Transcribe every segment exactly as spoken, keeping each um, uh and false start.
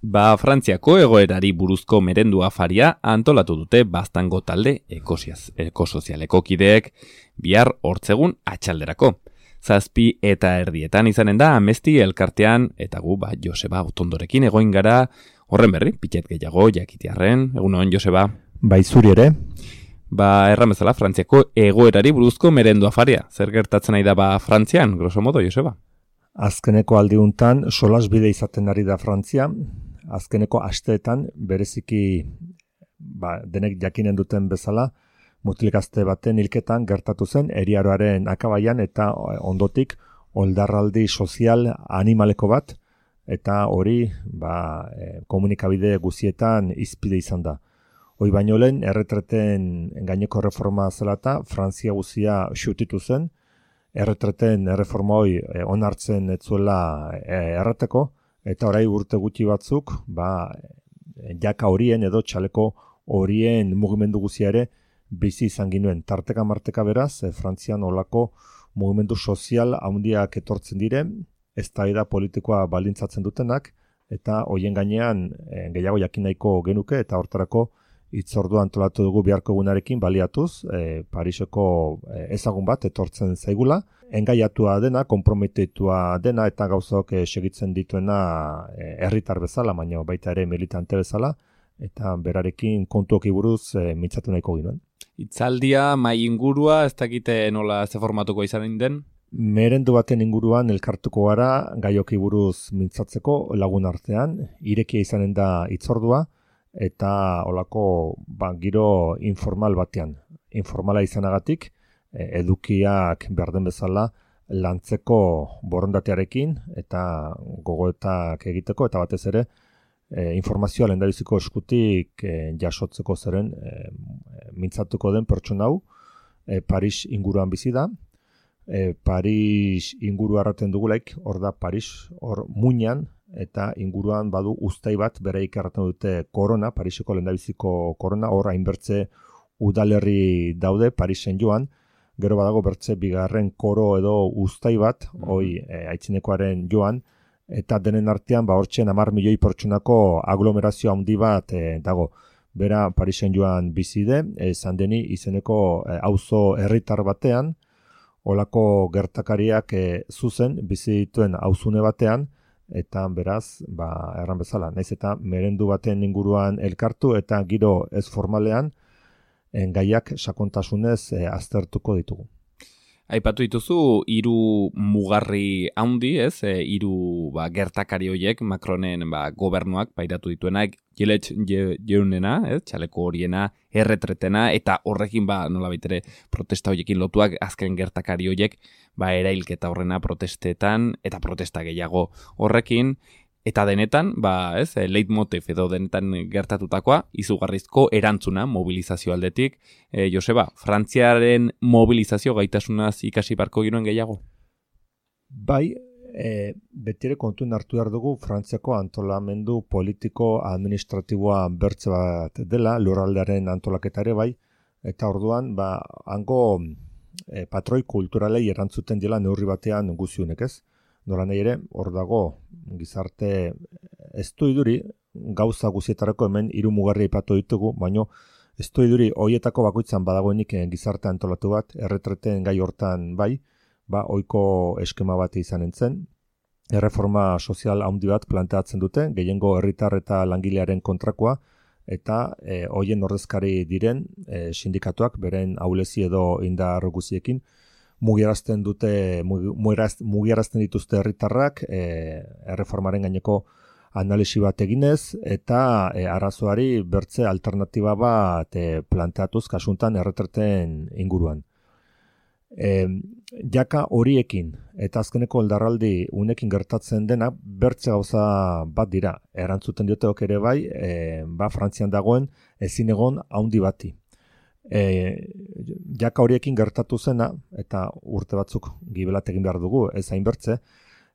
Ba, Frantziako egoerari buruzko merendu afaria antolatu dute Baztango talde ekosiaz, ekosozialeko kideek bihar hortzegun atxalderako. Zazpi eta erdietan izanen da Amesti elkartean eta gu ba, Joseba Otondorekin egoin gara horren berri, pitxet gehiago jakitiarren, egunon Joseba. Bai, zuri ere. Ba, erran bezala Frantziako egoerari buruzko merendu afaria. Zer gertatzen nahi da ba Frantzian, grosso modo, Joseba? Azkeneko aldiuntan solasbide izaten ari da Frantzia. Azkeneko asteetan bereziki ba, denek jakinen duten bezala mutilikazte baten hilketan gertatu zen eriaroaren akabaian eta ondotik oldarraldi sozial animaleko bat eta hori ba, e, komunikabide guzietan izpide izan da. Hoi baino lehen erretreten gaineko reforma zela eta Frantzia guzia xutitu zen, erretreten erreforma hoi e, onartzen ez zuela e, errateko, eta orai urte gutxi batzuk, ba, jaka horien edo txaleko horien mugimendu guzia ere bizi izan ginuen. Tarteka marteka beraz, e, Frantzian olako mugimendu sozial handiak etortzen dire, eztabaida politikoa baldintzatzen dutenak, eta hoien gainean e, gehiago jakin nahiko genuke, eta hortarako hitzordua antolatu dugu biharko egunarekin baliatuz, e, Pariseko e, ezagun bat etortzen zaigula, engaiatua dena, konprometitua dena eta gauzok e, segitzen dituena e, herritar bezala, baina baita ere militante bezala, eta berarekin kontuoki buruz e, mintzatu nahiko ginoen. Itzaldia, mai ingurua, ez dakite nola ze formatuko izan den? Merendu baten inguruan elkartuko gara gaioki buruz mintzatzeko lagun artean, irekia izanen da hitzordua, eta olako ba, giro informal batean. Informala izanagatik, edukiak behar den bezala lantzeko borondatearekin eta gogoetak egiteko eta batez ere e, informazioa lehendabiziko eskutik e, jasotzeko zeren e, mintzatuko den pertsona hau e, Paris inguruan bizi da. E, Paris inguru arraten dugulaik, hor da Paris, hor muinan eta inguruan badu uztai bat bereik erraten dute korona, Pariseko lehendabiziko korona, hor hainbertze udalerri daude Parisen joan, gero badago bertze bigarren koro edo uztai bat, mm-hmm. hoi e, aitzinekoaren joan, eta denen artean ba hortzen hamar milioi pertsonako aglomerazio handi bat e, dago. Bera Parisen joan bizide, e, Saint-Denis izeneko e, auzo herritar batean, olako gertakariak e, zuzen bizi dituen auzune batean, eta beraz, ba, erran bezala, naiz eta merendu baten inguruan elkartu eta giro ez formalean, gaiak sakontasunez e, aztertuko ditugu. Aipatu dituzu hiru mugarri handi, ez? E, hiru ba, gertakari horiek Macronen ba, gobernuak pairatu dituenak, Gilet jeunena, ez? Txaleko horiena, erretretena, eta horrekin ba, nolabait ere protesta horiekin lotuak azken gertakari horiek ba, erailketa horrena protestetan eta protesta gehiago horrekin. Eta denetan, ba, ez, leitmotiv edo denetan gertatutakoa, izugarrizko erantzuna mobilizazio aldetik. E, Joseba, Frantziaren mobilizazio gaitasunaz ikasi barko ginoen gehiago? Bai, e, betire kontuen hartu behar dugu Frantziako antolamendu politiko administratiboa bertze bat dela, lurraldearen antolaketare bai, eta orduan, ba, hango e, patroi kulturalei erantzuten dela neurri batean guziunek ez. Nola nahi ere, hor dago gizarte ez du iduri, gauza guzietarako hemen hiru mugarri aipatu ditugu, baino ez du iduri hoietako bakoitzan badagoenik gizarte antolatu bat, erretreten gai hortan bai, ba ohiko eskema bat izan entzen, erreforma sozial handi bat planteatzen dute, gehiengo herritar eta langilearen kontrakoa, eta e, hoien ordezkari diren e, sindikatuak, beren ahulezi edo indar guziekin, mugiarazten dute, mugiarazten dituzte herritarrak e, erreformaren gaineko analisi bat eginez eta e, arazoari bertze alternatiba bat e, planteatuz kasuntan erretreten inguruan. E, jaka horiekin eta azkeneko oldarraldi unekin gertatzen dena bertze gauza bat dira. Erantzuten dioteok ere bai, e, ba Frantzian dagoen ezin egon handi bati. E, jaka horiekin gertatu zena, eta urte batzuk gibelat egin behar dugu, ez hainbertze,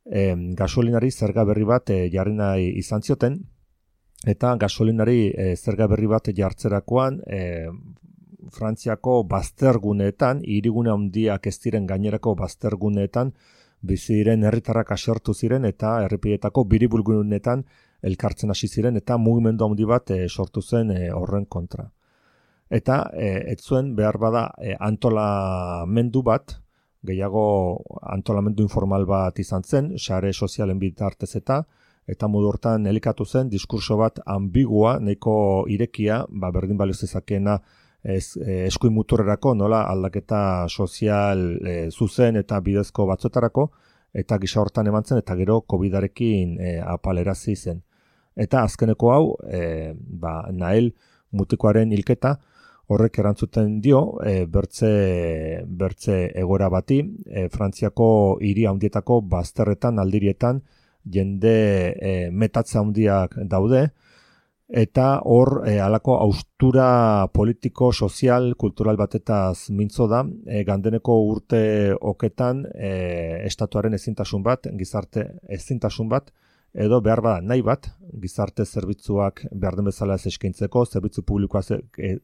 e, gasolinari zerga berri bat e, jarri nahi izan zioten, eta gasolinari e, zerga berri bat jartzerakoan e, Frantziako bazterguneetan, hirigune handiak ez diren gainerako bazterguneetan, bizi diren herritarrak asertu ziren eta herripideetako biribulgunetan elkartzen hasi ziren eta mugimendu handi bat e, sortu zen e, horren kontra. Eta e, ez zuen behar bada e, antolamendu bat, gehiago antolamendu informal bat izan zen, sare sozialen bitartez eta, eta modu hortan elikatu zen diskurso bat ambigua, nahiko irekia, ba, berdin balio zezakeena ez, eskuin muturrerako, nola aldaketa sozial e, zuzen eta bidezko batzuetarako, eta gisa hortan eman zen, eta gero kobidarekin e, apalerazi zen. Eta azkeneko hau, e, ba, Nael mutikoaren hilketa, horrek erantzuten dio, e, bertze, bertze egora bati, e, Frantziako hiri handietako bazterretan, aldirietan, jende e, metatze handiak daude, eta hor e, halako haustura politiko, sozial, kultural batetaz mintzo da, e, gandeneko urte oketan e, estatuaren ezintasun bat, gizarte ezintasun bat, edo behar bada nahi bat, gizarte zerbitzuak behar den bezala ez eskaintzeko, zerbitzu publikoa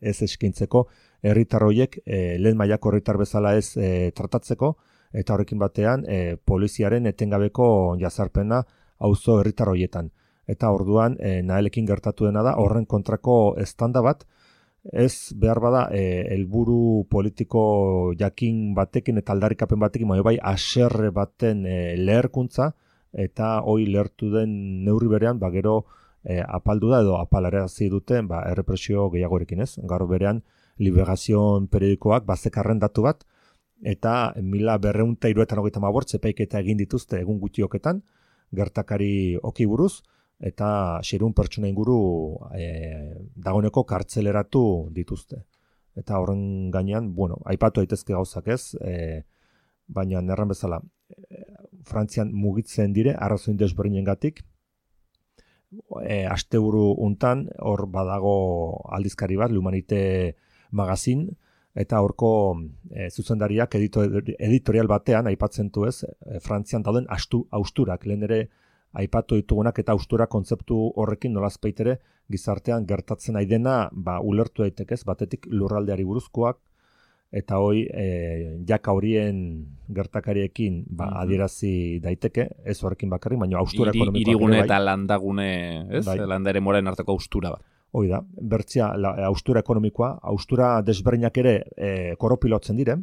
ez eskaintzeko, herritar horiek e, lehen mailako herritar bezala ez e, tratatzeko, eta horrekin batean e, poliziaren etengabeko jazarpena auzo herritar horietan. Eta orduan e, Naelekin gertatu dena da, horren kontrako estanda bat, ez behar bada e, helburu politiko jakin batekin eta aldarrikapen batekin, baina bai haserre baten e, leherkuntza, eta hoi lehertu den neurri berean, ba gero e, apaldu da edo apalarazi duten ba, errepresio gehiagorekin ez. Gaur berean Liberazion periodikoak bazekarren datu bat, eta mila berrehun eta hirurogeita hogeita hamabost epaiketa egin dituzte egun gutxioketan, gertakari oki buruz, eta seiehun pertsona inguru e, dagoeneko kartzeleratu dituzte. Eta horren gainean, bueno, aipatu daitezke gauzak ez, e, baina erran bezala, e, Frantzian mugitzen dire, arrazoin desberdinengatik, e, asteburu untan, hor badago aldizkari bat, L'Humanité magazin, eta horko e, zuzendariak editorial batean aipatzen du ez, e, Frantzian dauden astu, austurak, lehen ere aipatu ditugunak eta austura kontzeptu horrekin nolazpait ere gizartean gertatzen nahi dena ba, ulertu daitekez, batetik lurraldeari buruzkoak, eta hoi e, jaka horien gertakariekin ba, mm-hmm. adierazi daiteke, ez horrekin bakarrik, baina austura Iri, ekonomikoak irigune bai. eta landagune, ez? Bai. Landare moren arteko austura bat. Hoi da, bertzia la, austura ekonomikoa, austura desberdinak ere e, koropilotzen dire,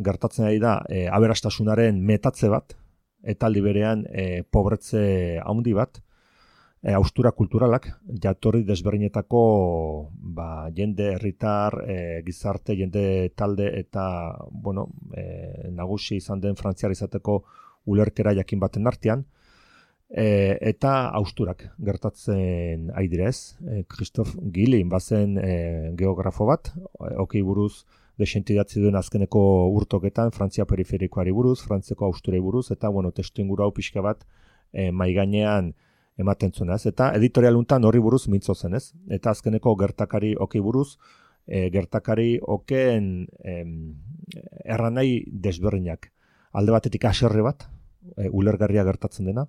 gertatzen ari da e, aberastasunaren metatze bat, eta aldi berean e, pobretze handi bat, e, austura kulturalak, jatorri desberdinetako ba, jende herritar, e, gizarte, jende talde eta bueno, e, nagusi izan den frantziar izateko ulerkera jakin baten artean, e, eta austurak gertatzen ari dira ez. E, Christophe Guilin bazen e, geografo bat, e, okei buruz, desente idatzi duen azkeneko urtoketan, Frantzia periferikoari buruz, Frantziako austurei buruz, eta bueno, testu inguru hau pixka bat e, maigainean ematen zuen ez. Eta editorial untan horri buruz mintzo zen ez. Eta azkeneko gertakari okei buruz, e, gertakari okeen em, erranai desberdinak. Alde batetik haserre bat, e, ulergarria gertatzen dena.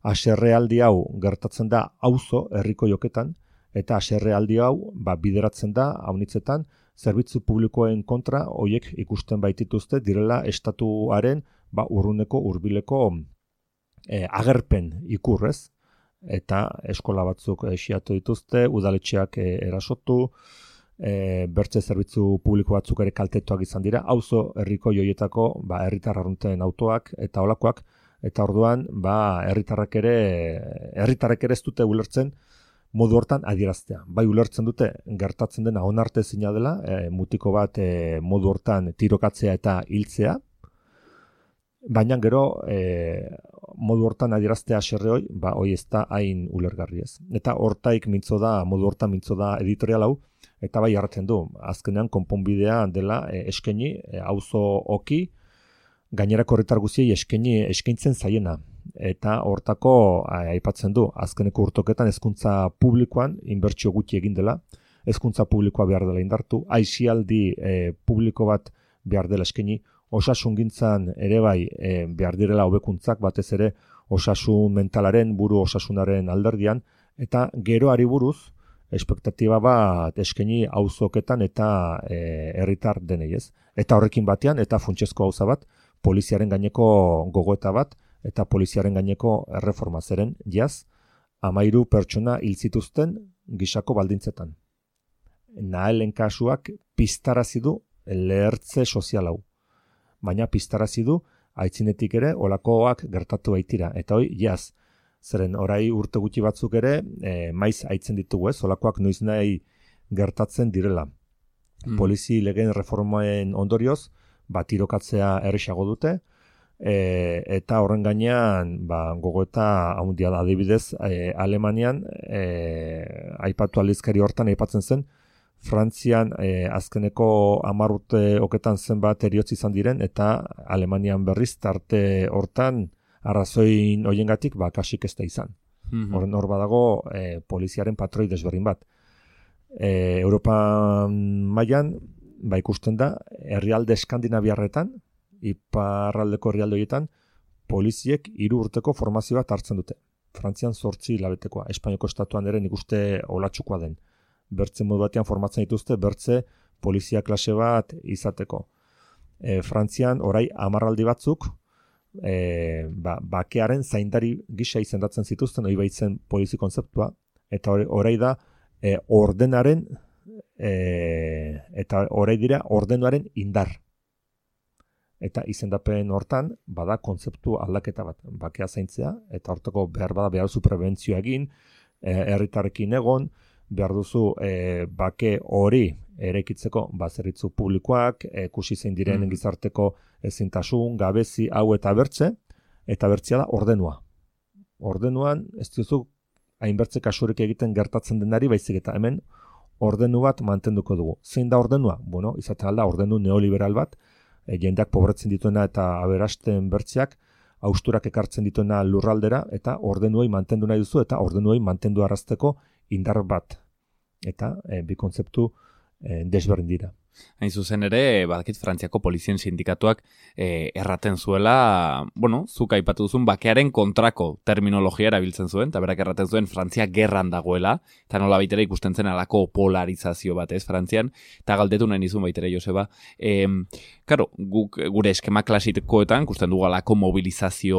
Haserre aldi hau gertatzen da auzo herriko joketan, eta haserre aldi hau ba, bideratzen da haunitzetan, zerbitzu publikoen kontra hoiek ikusten baitituzte direla estatuaren ba, urruneko hurbileko e, agerpen ikurrez, eta eskola batzuk esiatu dituzte, udaletxeak e, erasotu, e, bertze zerbitzu publiko batzuk ere kaltetuak izan dira, auzo herriko joietako ba, herritar arrunten autoak eta olakoak, eta orduan ba, herritarrak ere herritarrek ere ez dute ulertzen modu hortan adieraztea. Bai ulertzen dute gertatzen dena onartezina dela, e, mutiko bat e, modu hortan tirokatzea eta hiltzea, baina gero e, modu hortan adieraztea haserre hoi, ba hoi ez da hain ulergarri ez. Eta hortaik mintzo da, modu hortan mintzo da editorial hau, eta bai hartzen du, azkenean konponbidea dela e, eskaini, e, auzo oki, gainerako herritar guztiei eskaini eskaintzen zaiena. Eta hortako aipatzen du, azkeneko urtoketan hezkuntza publikoan inbertsio gutxi egin dela, hezkuntza publikoa behar dela indartu, aisialdi e, publiko bat behar dela eskaini, osasungintzan ere bai e, behar direla hobekuntzak, batez ere osasun mentalaren, buru osasunaren alderdian, eta geroari buruz, espektatiba bat eskaini auzoketan eta e, herritar denei ez. Eta horrekin batean, eta funtsezko gauza bat, poliziaren gaineko gogoeta bat, eta poliziaren gaineko erreforma zeren, jaz, hamairu pertsona hil zituzten gisako baldintzetan. Nahelen kasuak piztarazi du lehertze sozial hau. Baina piztarazi du aitzinetik ere olakoak gertatu baitira. Eta hoi, jaz, zeren orai urte gutxi batzuk ere e, maiz aitzen ditugu ez, olakoak noiz nahi gertatzen direla. Mm. Polizi legeen reformaen ondorioz, ba, tirokatzea erresago dute, e, eta horren gainean ba, gogoeta haundia da adibidez, e, Alemanian e, aipatu aldizkari hortan aipatzen zen, Frantzian e, azkeneko hamar urte oketan zenbat eriotz izan diren, eta Alemanian berriz tarte hortan arrazoin hoiengatik ba, kasik ez da izan. Mm-hmm. Horren hor badago e, poliziaren patroi desberdin bat. E, Europa mailan ba, ikusten da, herrialde eskandinaviarretan, iparraldeko herrialde horietan, poliziek hiru urteko formazio bat hartzen dute. Frantzian zortzi hilabetekoa, Espainiako estatuan ere nik uste olatsukoa den. Bertze modu batean formatzen dituzte, bertze polizia klase bat izateko. E, Frantzian orai hamarraldi batzuk, e, ba, bakearen zaindari gisa izendatzen zituzten, hori baitzen polizi kontzeptua, eta orai da e, ordenaren, e, eta orai dira ordenuaren indar. Eta izendapen hortan, bada kontzeptu aldaketa bat, bakea zaintzea, eta hortako behar bada behar zu prebentzioa egin, herritarrekin egon, behar duzu e, bake hori eraikitzeko bazeritzu publikoak, ikusi zein diren mm. gizarteko ezintasun, gabezi, hau eta bertze, eta bertzea da ordenua. Ordenuan, ez duzu hainbertze kasurik egiten gertatzen denari, baizik eta hemen ordenu bat mantenduko dugu. Zein da ordenua? Bueno, izaten alda ordenu neoliberal bat, e, jendeak pobretzen dituena eta aberasten bertzeak, hausturak ekartzen dituena lurraldera, eta ordenuei mantendu nahi duzu, eta ordenuei mantendu arrazteko indar bat. Eta e, bi kontzeptu e, desberdin dira. Hain zuzen ere, badakit Frantziako polizien sindikatuak e, erraten zuela, bueno, zuk aipatu duzun bakearen kontrako terminologia erabiltzen zuen, eta berak erraten zuen Frantzia gerran dagoela, eta nola baitera ikusten zen alako polarizazio bat ez Frantzian, eta galdetu nahi nizun baitere Joseba. E, karo, guk, gure eskema klasikoetan, ikusten dugu alako mobilizazio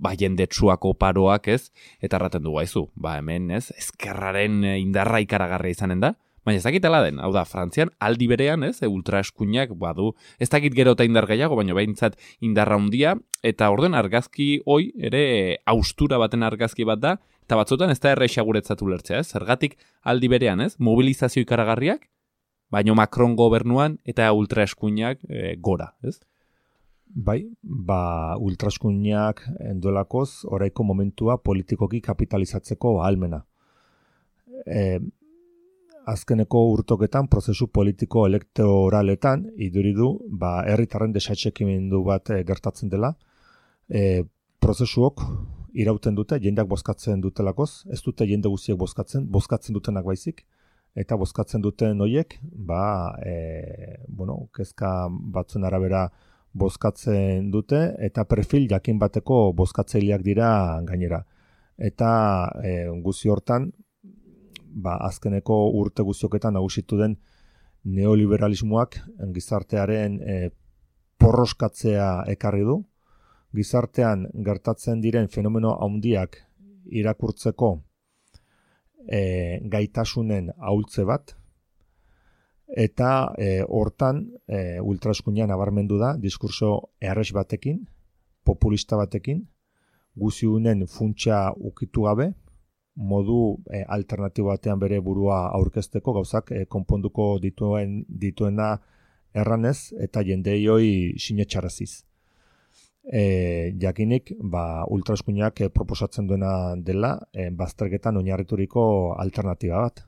ba, jendetsuako paroak ez, eta erraten dugu haizu, ba hemen ez, ezkerraren indarra ikaragarria izanen da, baina ez dakit ala den, hau da, Frantzian aldi berean, ez, ultraeskuinak badu, ez dakit gero eta indar gehiago, baina behintzat indarra handia, eta orden argazki hoi ere haustura baten argazki bat da, eta batzutan ez da erresa guretzat ulertzea, ez, zergatik aldi berean, ez, mobilizazio ikaragarriak, baina Macron gobernuan eta ultraeskuinak e, gora, ez? Bai, ba, ultraeskuinak endolakoz, oraiko momentua politikoki kapitalizatzeko ahalmena. E, Azkeneko urtoketan, prozesu politiko elektoraletan, iduridu, ba, herritarren desatxekimendu bat e, gertatzen dela. E, prozesuok irauten dute, jendeak bozkatzen dutelakoz, ez dute jende guztiek bozkatzen, bozkatzen dutenak baizik, eta bozkatzen duten horiek, ba, e, bueno, kezka batzuen arabera bozkatzen dute, eta perfil jakin bateko bozkatzaileak dira gainera. Eta e, guzi hortan, ba, azkeneko urte guztioketan nagusitu den neoliberalismoak gizartearen e, porroskatzea ekarri du. Gizartean gertatzen diren fenomeno handiak irakurtzeko e, gaitasunen ahultze bat, eta e, hortan e, ultraeskuinean nabarmendu da diskurso erres batekin, populista batekin, guziunen funtsa ukitu gabe, modu e, alternatibo batean bere burua aurkezteko gauzak e, konponduko dituen dituena erranez eta jendei hoi sinetxaraziz. E, jakinik, ba, ultraeskuinak e, proposatzen duena dela e, bazterketan oinarrituriko alternatiba bat.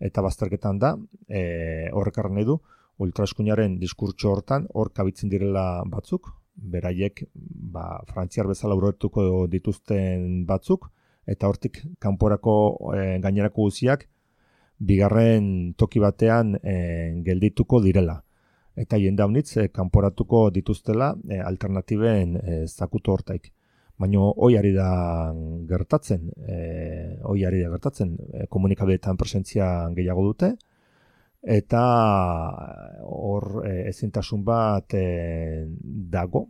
Eta bazterketan da, e, horrekarren nahi du, ultraeskuinaren diskurtso hortan hor kabitzen direla batzuk, beraiek ba, frantziar bezala uroetuko dituzten batzuk, eta hortik kanporako e, gainerako guziak bigarren toki batean e, geldituko direla. Eta jende haunitz e, kanporatuko dituztela e, alternatiben e, zakutu hortaik. Baina hoi ari da gertatzen, e, hoi ari da gertatzen, e, komunikabideetan presentzia gehiago dute, eta hor e, ezintasun bat e, dago,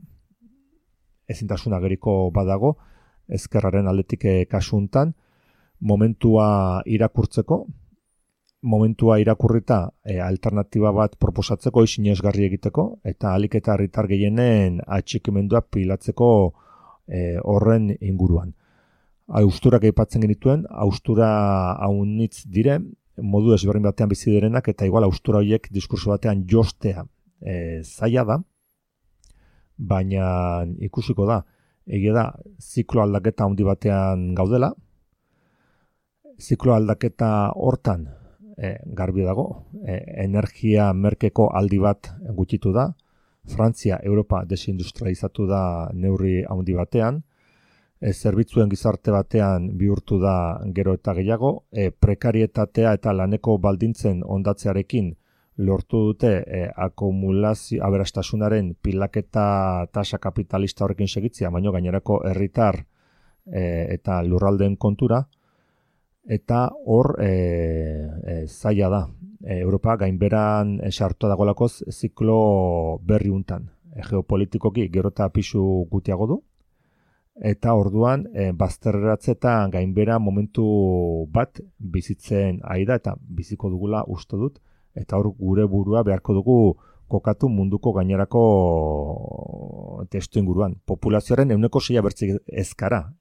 ezintasun ageriko badago, ezkerraren aldetik kasuntan, momentua irakurtzeko, momentua irakurrita e, alternatiba bat proposatzeko, sinesgarri egiteko, eta ahalik eta herritar gehienen atxikimendua pilatzeko e, horren inguruan. Austurak aipatzen genituen, austura haunitz dire, modu ezberdin batean bizi direnak, eta igual austura horiek diskurso batean jostea e, zaila da, baina ikusiko da, egia da, ziklo aldaketa handi batean gaudela, ziklo aldaketa hortan e, garbi dago, e, energia merkeko aldi bat gutxitu da, Frantzia, Europa desindustrializatu da neurri handi batean, e, zerbitzuen gizarte batean bihurtu da gero eta gehiago, e, prekarietatea eta laneko baldintzen ondatzearekin lortu dute e, akumulazio aberastasunaren pilaketa tasa kapitalista horrekin segitzea, baino gainerako herritar e, eta lurraldeen kontura, eta hor e, e, zaila da. E, Europa gainberan sartua dagolakoz ziklo berri untan. E, geopolitikoki gero eta pisu gutiago du, eta orduan e, bazterratzetan gainbera momentu bat bizitzen ari da, eta biziko dugula uste dut, eta hor gure burua beharko dugu kokatu munduko gainerako testu inguruan. Populazioaren ehuneko seia bertzik ezkara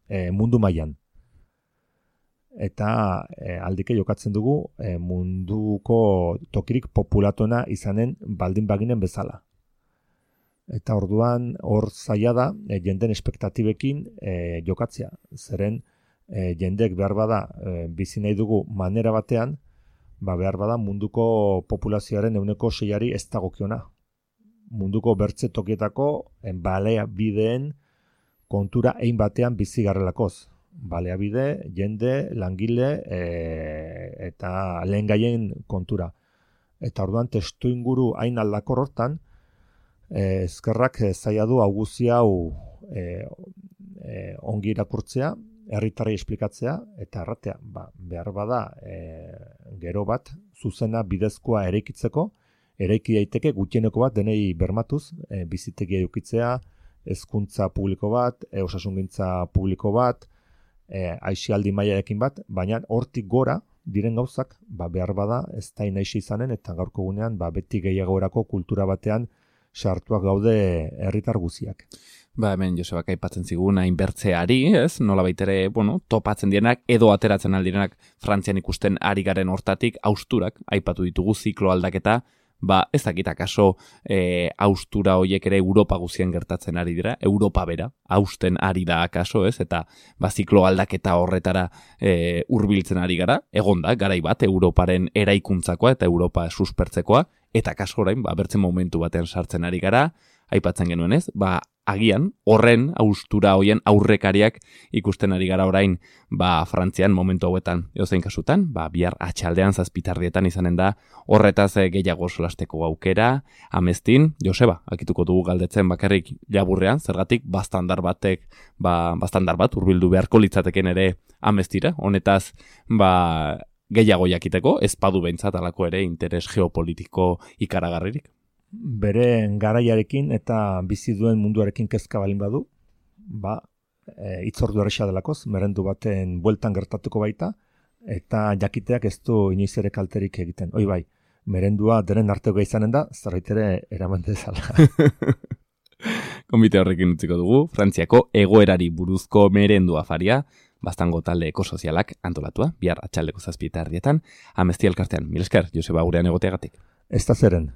e, mundu mailan. Eta e, aldike jokatzen dugu e, munduko tokirik populatuena izanen baldin baginen bezala. Eta orduan hor zaila da e, jenden espektatibekin e, jokatzea. Zeren e, jendek behar bada e, bizi nahi dugu manera batean, ba behar bada munduko populazioaren ehuneko seiari ez dagokiona. Munduko bertze tokietako en balea bideen kontura ein batean bizi garrelakoz. Balea bide, jende, langile e, eta lehen gaien kontura. Eta orduan testu inguru hain aldakor hortan, e, ezkerrak zaila du auguzi hau e, e, ongi irakurtzea, herritarrei esplikatzea eta erratea, ba, behar bada e, gero bat zuzena bidezkoa eraikitzeko, eraiki daiteke gutxieneko bat denei bermatuz, e, bizitegia edukitzea, hezkuntza publiko bat, e, osasungintza publiko bat, e, aisialdi mailarekin bat, baina hortik gora diren gauzak, ba, behar bada ez da inaixi izanen, eta gaurko gunean ba, beti gehiagorako kultura batean sartuak gaude herritar guziak. Ba, hemen Josebak aipatzen zigun hainbertzeari, ez? Nola baitere, bueno, topatzen dienak, edo ateratzen aldirenak Frantzian ikusten ari garen hortatik, austurak, aipatu ditugu ziklo aldaketa, ba, ez dakit akaso e, austura horiek ere Europa guzien gertatzen ari dira, Europa bera, hausten ari da akaso, ez? Eta, ba, ziklo aldaketa horretara e, hurbiltzen ari gara, egon da, garai bat, Europaren eraikuntzakoa eta Europa suspertzekoa, eta akaso orain, ba, bertzen momentu batean sartzen ari gara, aipatzen genuen ez, ba, agian, horren, austura hoien aurrekariak ikusten ari gara orain, ba, Frantzian momentu hauetan, edozein kasutan, ba, bihar atxaldean zazpitardietan izanen da, horretaz gehiago solasteko aukera, Amestin, Joseba, akituko dugu galdetzen bakarrik laburrean, zergatik, bastandar batek, ba, bastandar bat, hurbildu beharko litzateken ere Amestira, honetaz, ba, gehiago jakiteko, ez badu behintzat alako ere interes geopolitiko ikaragarririk. Bere garaiarekin eta bizi duen munduarekin kezka balin badu, ba, e, itzordu erresa delakoz, merendu baten bueltan gertatuko baita, eta jakiteak ez du inoiz ere kalterik egiten. Hoi bai, merendua deren arteko izanen da, zerbait ere eraman dezala. Konbite horrekin utziko dugu, Frantziako egoerari buruzko merendu afaria, Bastango talde ekosozialak antolatua, bihar atxaldeko zazpietar dietan, Amesti elkartean. Mil esker, Joseba gurean egoteagatik. Ez da zeren.